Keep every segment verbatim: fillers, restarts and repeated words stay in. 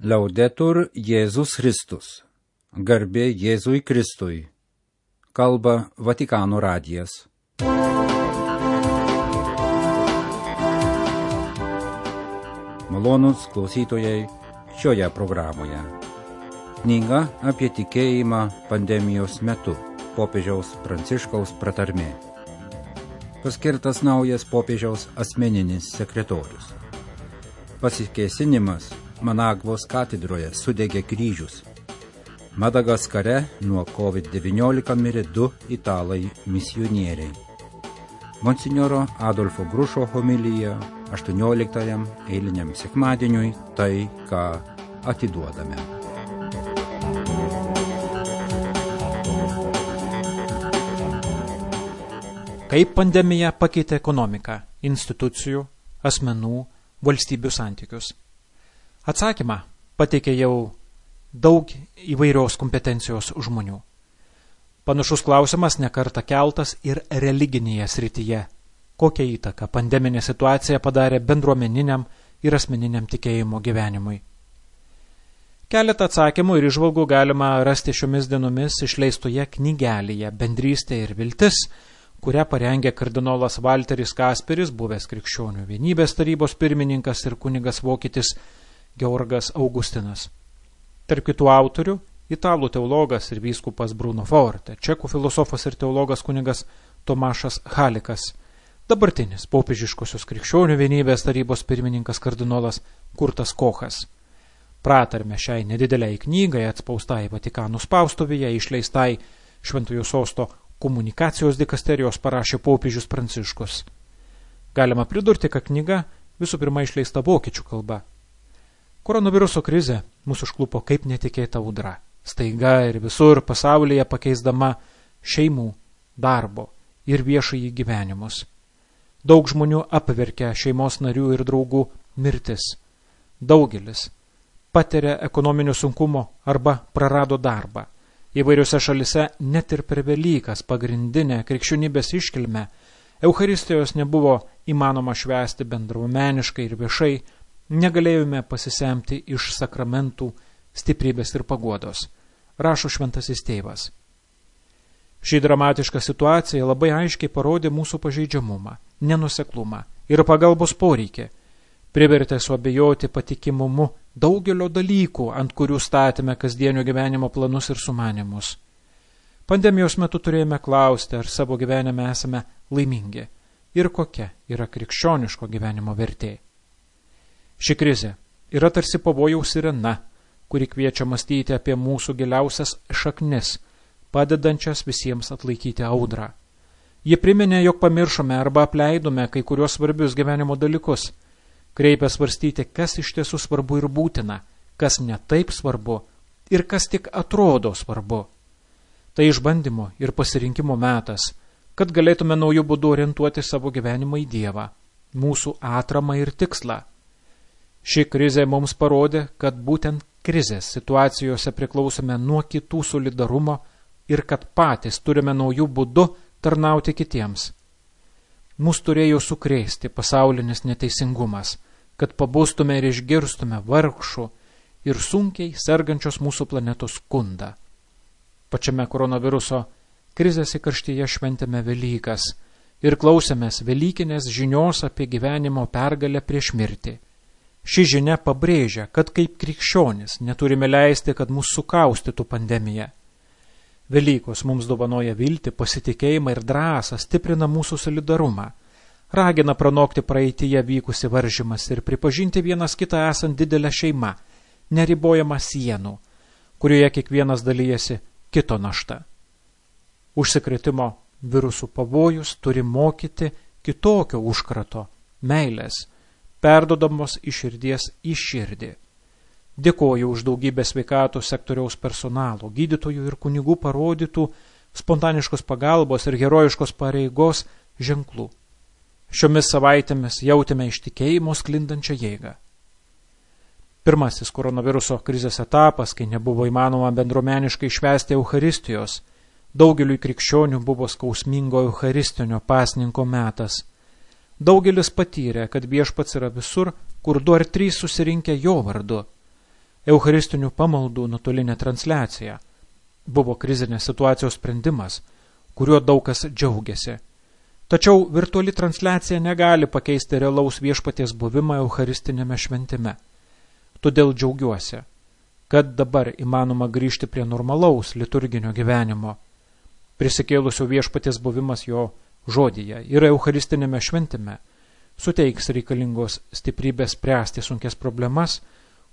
Laudetur Jėzus Kristus. Garbė Jėzui Kristui. Kalba Vatikano radijas. Malonūs klausytojai šioje programoje. Knyga apie tikėjimą pandemijos metu. Popiežiaus Pranciškaus pratarmė. Paskirtas naujas popiežiaus asmeninis sekretorius. Pasikėsinimas Managvos katedroje sudegė kryžius. Madagaskare nuo covid devyniolika mirė du italai misionieriai. Monsinjoro Adolfo Grušo homilija aštuonioliktajam eiliniam sekmadieniui tai, ką atiduodame. Kaip pandemija pakeitė ekonomiką, institucijų, asmenų, valstybių santykius? Atsakymą pateikė jau daug įvairios kompetencijos žmonių. Panašus klausimas nekartą keltas ir religinėje srityje. Kokią įtaką pandeminė situacija padarė bendruomeniniam ir asmeniniam tikėjimo gyvenimui? Keletą atsakymų ir įžvalgų galima rasti šiomis dienomis išleistoje knygelėje Bendrystė ir viltis, kurią parengė kardinolas Valteris Kasperis, buvęs Krikščionių vienybės tarybos pirmininkas ir kunigas vokietis Georgas Augustinas. Tarp kitų autorių italų teologas ir vyskupas Bruno Forte, čekų filosofas ir teologas kunigas Tomašas Halikas, dabartinis popiežiškosios Krikščionių vienybės tarybos pirmininkas kardinolas Kurtas Kochas. Pratarmę šiai nedideliai knygai atspaustai Vatikano spaustuvėje išleistai Šventojo sosto komunikacijos dikasterijos parašė popiežius Pranciškus. Galima pridurti, kad knyga visų pirma išleista vokiečių kalba. Koronaviruso krizė mūsų užklupo kaip netikėta audra, staiga ir visur pasaulyje pakeisdama šeimų, darbo ir viešąjį gyvenimus. Daug žmonių apverkia šeimos narių ir draugų mirtis. Daugelis patiria ekonominių sunkumų arba prarado darbą. Įvairiose šalise net ir per Velykas pagrindinę krikščionybės iškilmę Eucharistijos nebuvo įmanoma švęsti bendruomeniškai ir viešai, negalėjome pasisemti iš sakramentų stiprybės ir paguodos, rašo šventasis tėvas. Ši dramatiška situacija labai aiškiai parodė mūsų pažeidžiamumą, nenuseklumą ir pagalbos poreikį, privertė suabejoti patikimumu daugelio dalykų, ant kurių statėme kasdienio gyvenimo planus ir sumanymus. Pandemijos metu turėjome klausti, ar savo gyvenime esame laimingi ir kokia yra krikščioniško gyvenimo vertė. Ši krizė yra tarsi pavojaus sirena, kuri kviečia mąstyti apie mūsų giliausias šaknis, padedančias visiems atlaikyti audrą. Ji priminė, jog pamiršome arba apleidome kai kurios svarbius gyvenimo dalykus, kreipia svarstyti, kas iš tiesų svarbu ir būtina, kas ne taip svarbu ir kas tik atrodo svarbu. Tai išbandymo ir pasirinkimo metas, kad galėtume naujų būdų orientuoti savo gyvenimą į Dievą, mūsų atramą ir tikslą. Ši krizė mums parodė, kad būtent krizės situacijose priklausome nuo kitų solidarumo ir kad patys turime naujų būdų tarnauti kitiems. Mūsų turėjo sukrėsti pasaulinis neteisingumas, kad pabustume ir išgirstume vargšų ir sunkiai sergančios mūsų planetos skundą. Pačiame koronaviruso krizės įkarštyje šventėme Velykas ir klausėmės velykinės žinios apie gyvenimo pergalę prieš mirtį. Ši žinia pabrėžia, kad kaip krikščionis neturime leisti, kad mūsų sukaustytų pandemija. Velykos mums dovanoja viltį, pasitikėjimą ir drąsą, stiprina mūsų solidarumą, ragina pranokti praeityje vykusi varžymas ir pripažinti vienas kitą esant didelę šeimą, neribojama sienų, kurioje kiekvienas dalyjasi kito našta. Užsikrėtimo virusų pavojus turi mokyti kitokio užkrato, meilės, perdodamos iš širdies į širdį. Dėkoju už daugybę sveikatos sektoriaus personalo, gydytojų ir kunigų parodytų spontaniškos pagalbos ir herojiškos pareigos ženklų. Šiomis savaitėmis jautėme iš tikėjimo sklindančią jėgą. Pirmasis koronaviruso krizės etapas, kai nebuvo įmanoma bendruomeniškai švęsti Eucharistijos, daugeliui krikščionių buvo skausmingo Eucharistinio pasninko metas. Daugelis patyrė, kad viešpats yra visur, kur du ar trys susirinkę jo vardu. Eucharistinių pamaldų nuotolinė transliacija buvo krizinės situacijos sprendimas, kuriuo daug kas džiaugiasi. Tačiau virtuali transliacija negali pakeisti realaus viešpaties buvimą Eucharistinėme šventime. Todėl džiaugiuosi, kad dabar įmanoma grįžti prie normalaus liturginio gyvenimo. Prisikėlusio viešpaties buvimas jo žodyje ir Eucharistinėme šventime suteiks reikalingos stiprybės spręsti sunkias problemas,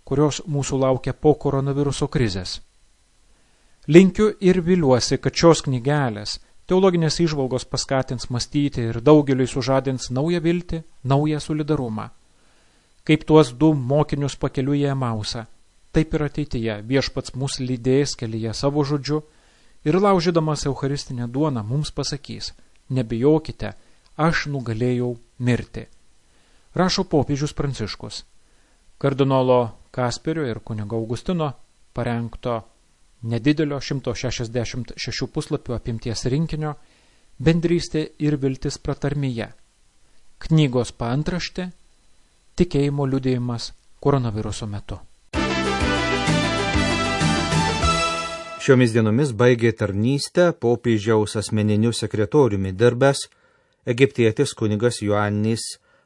kurios mūsų laukia po koronaviruso krizės. Linkiu ir viliuosi, kad šios knygelės, teologinės įžvalgos paskatins mąstyti ir daugeliui sužadins naują viltį, naują solidarumą. Kaip tuos du mokinius pakeliui į Emausą, taip ir ateityje viešpats mus lydės kelyje savo žodžiu ir laužydamas Eucharistinę duoną mums pasakys: nebijokite, aš nugalėjau mirti. Rašo popiežius Pranciškus. Kardinolo Kasperio ir kunigo Augustino parengto nedidelio šimto šešiasdešimt šešių puslapių apimties rinkinio Bendrystė ir viltis pratarmėje. Knygos paantraštė Tikėjimo liudijimas koronaviruso metu. Šiomis dienomis baigė tarnystę popiežiaus asmeniniu sekretoriumi dirbęs egiptietis kunigas Ioannis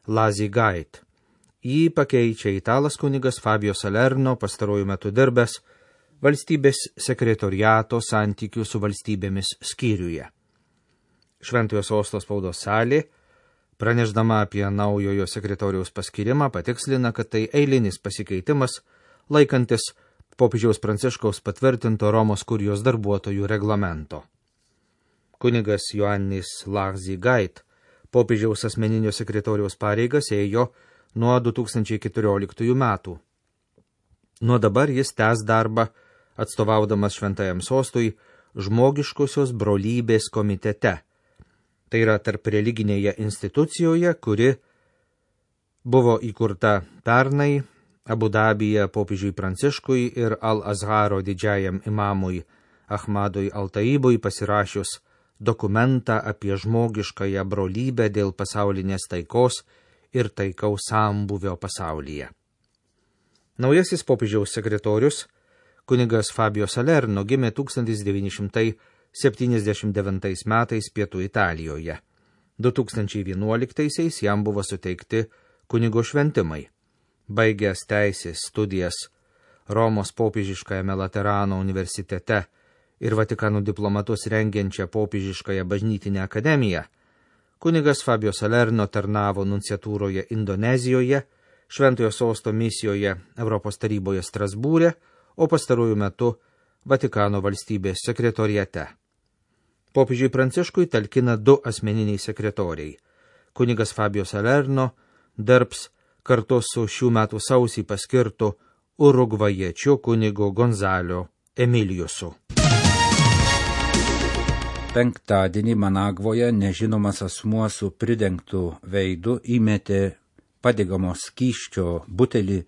Lazigait. Jį pakeičia italas kunigas Fabio Salerno, pastaruoju metu dirbęs valstybės sekretoriato santykių su valstybėmis skyriuje. Šventojo sosto spaudos salė, pranešdama apie naujojo sekretoriaus paskirimą, patikslina, kad tai eilinis pasikeitimas, laikantis popiežiaus Pranciškaus patvirtinto Romos kurijos darbuotojų reglamento. Kunigas Ioannis Lazigait popiežiaus asmeninio sekretoriaus pareigas ėjo nuo du tūkstančiai keturioliktųjų metų. Nuo dabar jis tęs darbą, atstovaudamas Šventajam sostui žmogiškosios brolybės komitete. Tai yra tarp religinėje institucijoje, kuri buvo įkurta pernai Abu Dabyje popiežiui Pranciškui ir Al-Azharo didžiajam imamui Ahmadui Al-Taibui pasirašius dokumentą apie žmogiškąją brolybę dėl pasaulinės taikos ir taikaus sambūvio pasaulyje. Naujasis popiežiaus sekretorius, kunigas Fabio Salerno, gimė tūkstantis devyni šimtai septyniasdešimt devintais metais Pietų Italijoje. du tūkstančiai vienuoliktaisiais jam buvo suteikti kunigo šventimai. Baigęs teisės studijas Romos popiežiškajame Laterano universitete ir Vatikano diplomatus rengiančią popiežiškąją bažnytinę akademiją, kunigas Fabio Salerno tarnavo nunciatūroje Indonezijoje, Šventojo sosto misijoje Europos taryboje Strasbūre, o pastaruoju metu Vatikano valstybės sekretoriate. Popiežiui Pranciškui talkina du asmeniniai sekretoriai. Kunigas Fabio Salerno dirbs kartu su šių metų sausį paskirtu urugvajiečiu kunigu Gonzalo Emiliusu. Penktadienį Managvoje nežinomas asmuo su pridengtu veidu įmetė padegamos skysčio butelį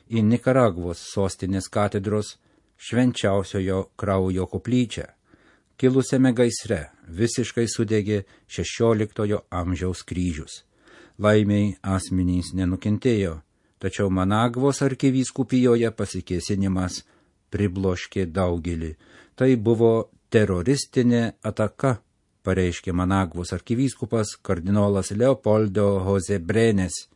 į Nikaragvos sostinės katedros švenčiausiojo kraujo koplyčią. Kilusiame gaisre visiškai sudegė šešioliktojo amžiaus kryžius. Laimiai asmenys nenukentėjo, tačiau Managvos arkivyskupijoje pasikėsinimas pribloškė daugelį. Tai buvo teroristinė ataka, pareiškė Managvos arkivyskupas kardinolas Leopoldo Jose Brenes.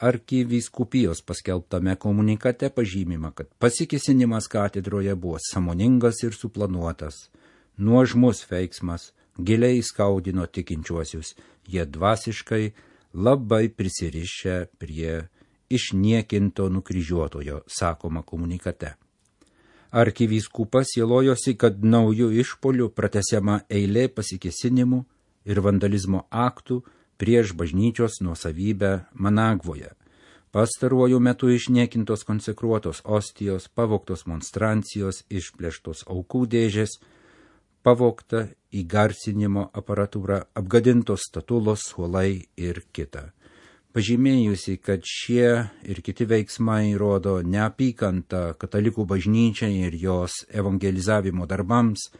Arkivyskupijos paskelbtame komunikate pažymima, kad pasikėsinimas katedroje buvo sąmoningas ir suplanuotas. Nuožmus veiksmas giliai skaudino tikinčiuosius, jie dvasiškai labai prisirišę prie išniekinto nukryžiuotojo, sakoma komunikate. Arkivyskupas sielojosi, kad naujų išpolių pratęsiama eilė pasikėsinimų ir vandalizmo aktų prieš bažnyčios nuosavybę Managvoje. Pastaruoju metu išniekintos konsekruotos ostijos, pavogtos monstrancijos, išplėštos aukų dėžės, pavogta įgarsinimo aparatūra, apgadintos statulos, suolai ir kita. Pažymėjusi, kad šie ir kiti veiksmai rodo neapykantą katalikų bažnyčiai ir jos evangelizavimo darbams,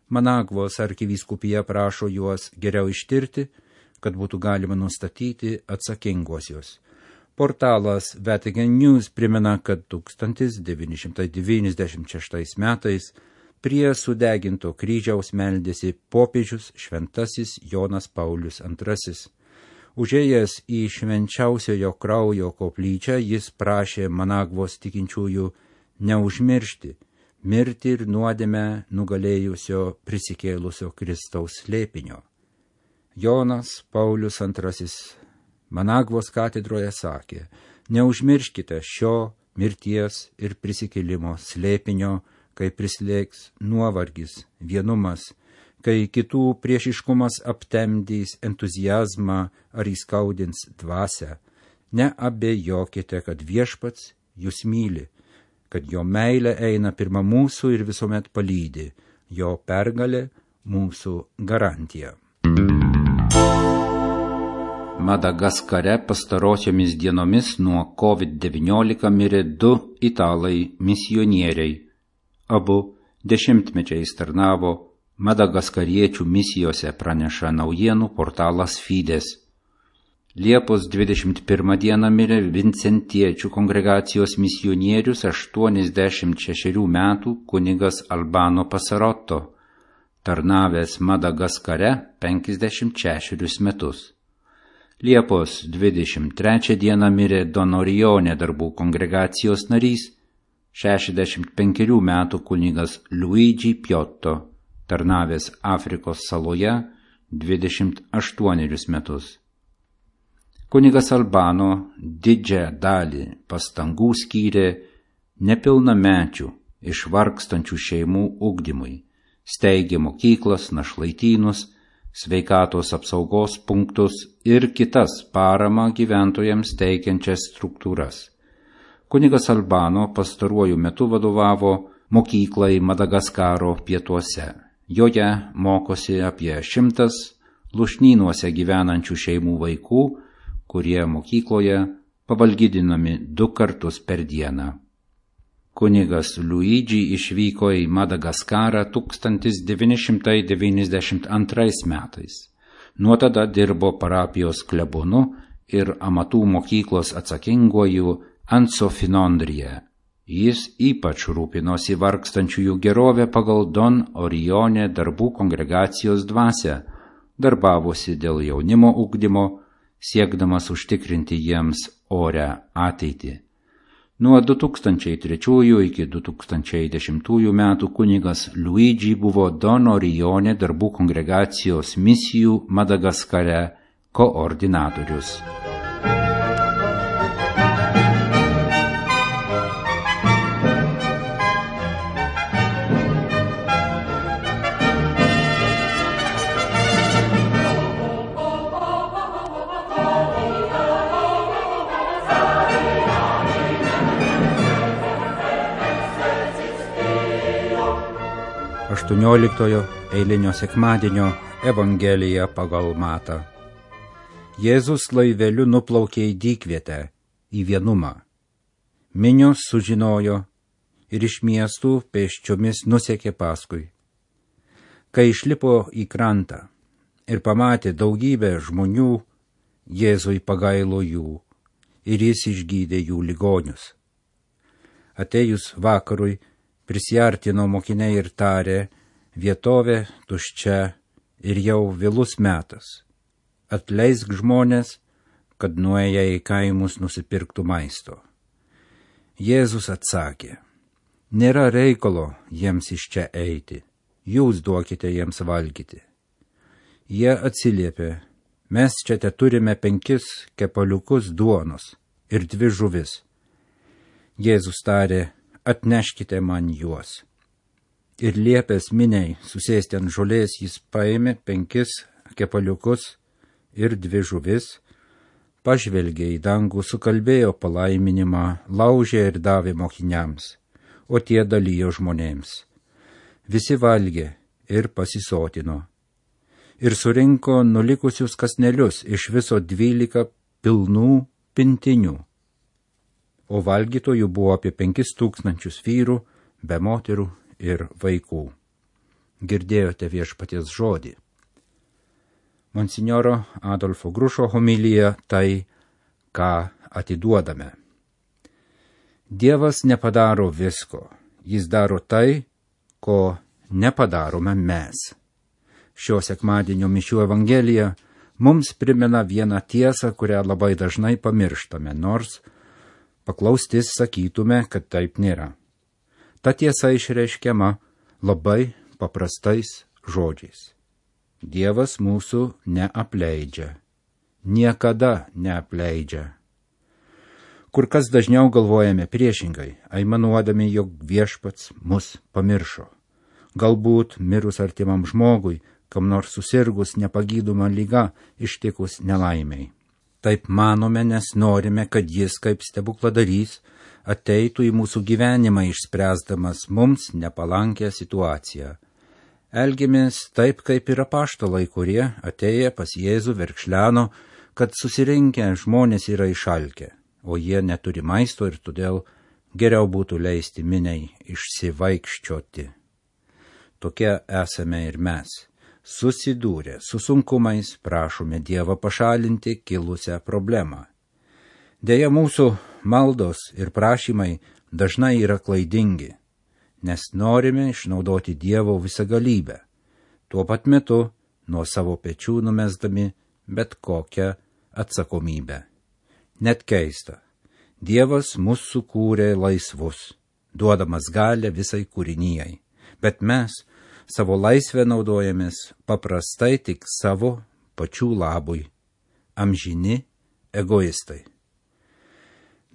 Managvos arkivyskupija prašo juos geriau ištirti, kad būtų galima nustatyti atsakinguosius. Portalas Vatican News primena, kad tūkstantis devyni šimtai devyniasdešimt šeštais metais prie sudeginto kryžiaus meldėsi popiežius šventasis Jonas Paulius antrasis. Užėjęs į švenčiausiojo kraujo koplyčią, jis prašė Managvos tikinčiųjų neužmiršti mirtį ir nuodėmę nugalėjusio prisikėlusio Kristaus slėpinio. Jonas Paulius antrasis Managvos katedroje sakė: neužmirškite šio mirties ir prisikėlimo slėpinio, kai prislėgs nuovargis, vienumas, kai kitų priešiškumas aptemdys entuzijazmą ar įskaudins dvasią. Neabejokite, kad viešpats jūs myli, kad jo meilė eina pirma mūsų ir visuomet palydi, jo pergalė mūsų garantija. Madagaskare pastarosiomis dienomis nuo COVID devyniolika mirė du italai misionieriai. Abu dešimtmečiais tarnavo madagaskariečių misijose, praneša naujienų portalas Fides. Liepos dvidešimt pirmą dieną mirė Vincentiečių kongregacijos misionierius aštuoniasdešimt šešerių metų kunigas Albano Pasarotto, tarnavęs Madagaskare penkiasdešimt šešerius metus. Liepos dvidešimt trečią dieną mirė Donorione darbų kongregacijos narys, šešiasdešimt penkerių metų kunigas Luigi Piotto, tarnavęs Afrikos saloje dvidešimt aštuonerius metus. Kunigas Albano didžiąją dalį pastangų skyrė nepilnamečių išvargstančių šeimų ugdymui, steigė mokyklas, našlaitynus, sveikatos apsaugos punktus ir kitas paramą gyventojams teikiančias struktūras. Kunigas Albano pastaruoju metu vadovavo mokyklai Madagaskaro pietuose. Joje mokosi apie šimtas lušnynuose gyvenančių šeimų vaikų, kurie mokykloje pavalgydinami du kartus per dieną. Kunigas Luigi išvyko į Madagaskarą tūkstantis devyni šimtai devyniasdešimt antrais metais. Nuo tada dirbo parapijos klebonu ir amatų mokyklos atsakinguoju Ansofinondrije. Jis ypač rūpinosi vargstančiųjų gerovę pagal Don Orione darbų kongregacijos dvasią, darbavosi dėl jaunimo ugdymo, siekdamas užtikrinti jiems orią ateitį. Nuo du tūkstančiai trečiųjų iki du tūkstančiai dešimtųjų metų kunigas Luigi buvo Don Orione darbų kongregacijos misijų Madagaskare koordinatorius. aštuonioliktojo eilinio sekmadienio Evangelija pagal Matą. Jėzus laiveliu nuplaukė į dykvietę, į vienumą. Minios sužinojo ir iš miestų pėsčiomis nusekė paskui. Kai išlipo į krantą ir pamatė daugybę žmonių, Jėzui pagailo jų ir jis išgydė jų ligonius. Atėjus vakarui, prisiartino mokiniai ir tarė: vietovė tuščia ir jau vėlus metas. Atleisk žmonės, kad nuėję į kaimus nusipirktų maisto. Jėzus atsakė: nėra reikalo jiems iš čia eiti, jūs duokite jiems valgyti. Jie atsiliepė: mes čia te turime penkis kepaliukus duonos ir dvi žuvis. Jėzus tarė: atneškite man juos. Ir liepęs miniai susėsti ant žolės, jis paėmė penkis kepaliukus ir dvi žuvis, pažvelgė į dangų, sukalbėjo palaiminimą, laužė ir davė mokiniams, o tie dalijo žmonėms. Visi valgė ir pasisotino. Ir surinko nulikusius kasnelius, iš viso dvylika pilnų pintinių. O valgytojų buvo apie penkis tūkstančius vyrų, be moterų ir vaikų. Girdėjote viešpaties žodį. Monsinjoro Adolfo Grušo homilija tai, ką atiduodame. Dievas nepadaro visko, jis daro tai, ko nepadarome mes. Šio sekmadienio mišių evangelija mums primena vieną tiesą, kurią labai dažnai pamirštame, nors paklaustis sakytume, kad taip nėra. Ta tiesa išreiškiama labai paprastais žodžiais. Dievas mūsų neapleidžia. Niekada neapleidžia. Kur kas dažniau galvojame priešingai, aimanuodami, jog viešpats mus pamiršo. Galbūt mirus artimam žmogui, kam nors susirgus nepagydoma liga, ištikus nelaimiai. Taip manome, nes norime, kad jis kaip stebukladarys ateitų į mūsų gyvenimą išspręsdamas mums nepalankę situaciją. Elgiamės taip, kaip ir apaštalai, kurie atėję pas Jėzų verkšleno, kad susirinkę žmonės yra išalkę, o jie neturi maisto ir todėl geriau būtų leisti miniai išsivaikščioti. Tokie esame ir mes. Susidūrę su sunkumais prašome Dievą pašalinti kilusią problemą. Deja, mūsų maldos ir prašymai dažnai yra klaidingi, nes norime išnaudoti Dievo visagalybę, tuo pat metu nuo savo pečių numesdami bet kokią atsakomybę. Net keista, Dievas mus sukūrė laisvus, duodamas galią visai kūrinijai, bet mes savo laisvę naudojamės paprastai tik savo pačių labui, amžini egoistai.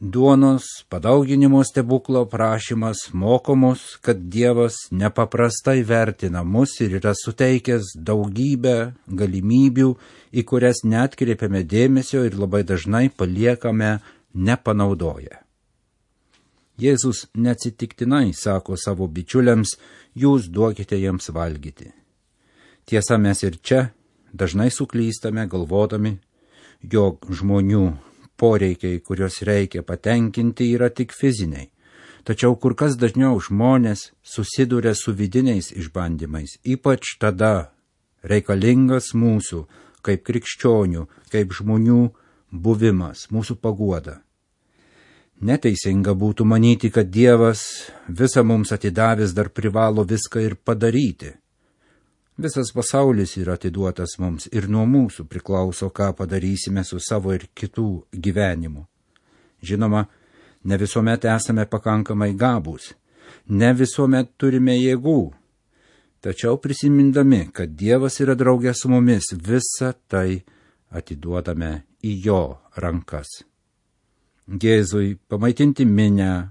Duonos padauginimo stebuklo prašymas moko mus, kad Dievas nepaprastai vertina mus ir yra suteikęs daugybę galimybių, į kurias neatkreipiame dėmesio ir labai dažnai paliekame nepanaudoję. Jėzus neatsitiktinai sako savo bičiuliams, jūs duokite jiems valgyti. Tiesa, mes ir čia dažnai suklystame galvodami, jog žmonių poreikiai, kuriuos reikia patenkinti, yra tik fiziniai. Tačiau kur kas dažniau žmonės susiduria su vidiniais išbandymais, ypač tada reikalingas mūsų, kaip krikščionių, kaip žmonių buvimas, mūsų paguoda. Neteisinga būtų manyti, kad Dievas visą mums atidavęs dar privalo viską ir padaryti. Visas pasaulis yra atiduotas mums ir nuo mūsų priklauso, ką padarysime su savo ir kitų gyvenimu. Žinoma, ne visuomet esame pakankamai gabūs, ne visuomet turime jėgų, tačiau prisimindami, kad Dievas yra draugė su mumis, visą tai atiduodame į jo rankas. Jėzui pamaitinti minę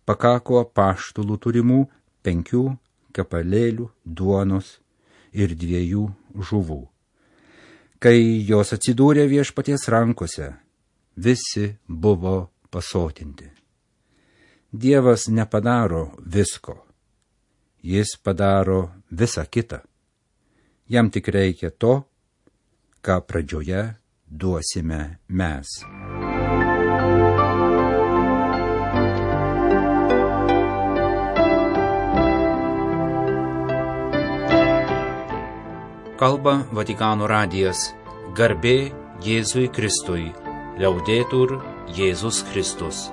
pakako apaštalų turimų penkių kepalėlių duonos ir dviejų žuvų. Kai jos atsidūrė viešpaties rankose, visi buvo pasotinti. Dievas nepadaro visko, jis padaro visą kitą. Jam tik reikia to, ką pradžioje duosime mes. Kalba Vatikano radijas. Garbė Jėzui Kristui. Liaudetur Jėzus Kristus.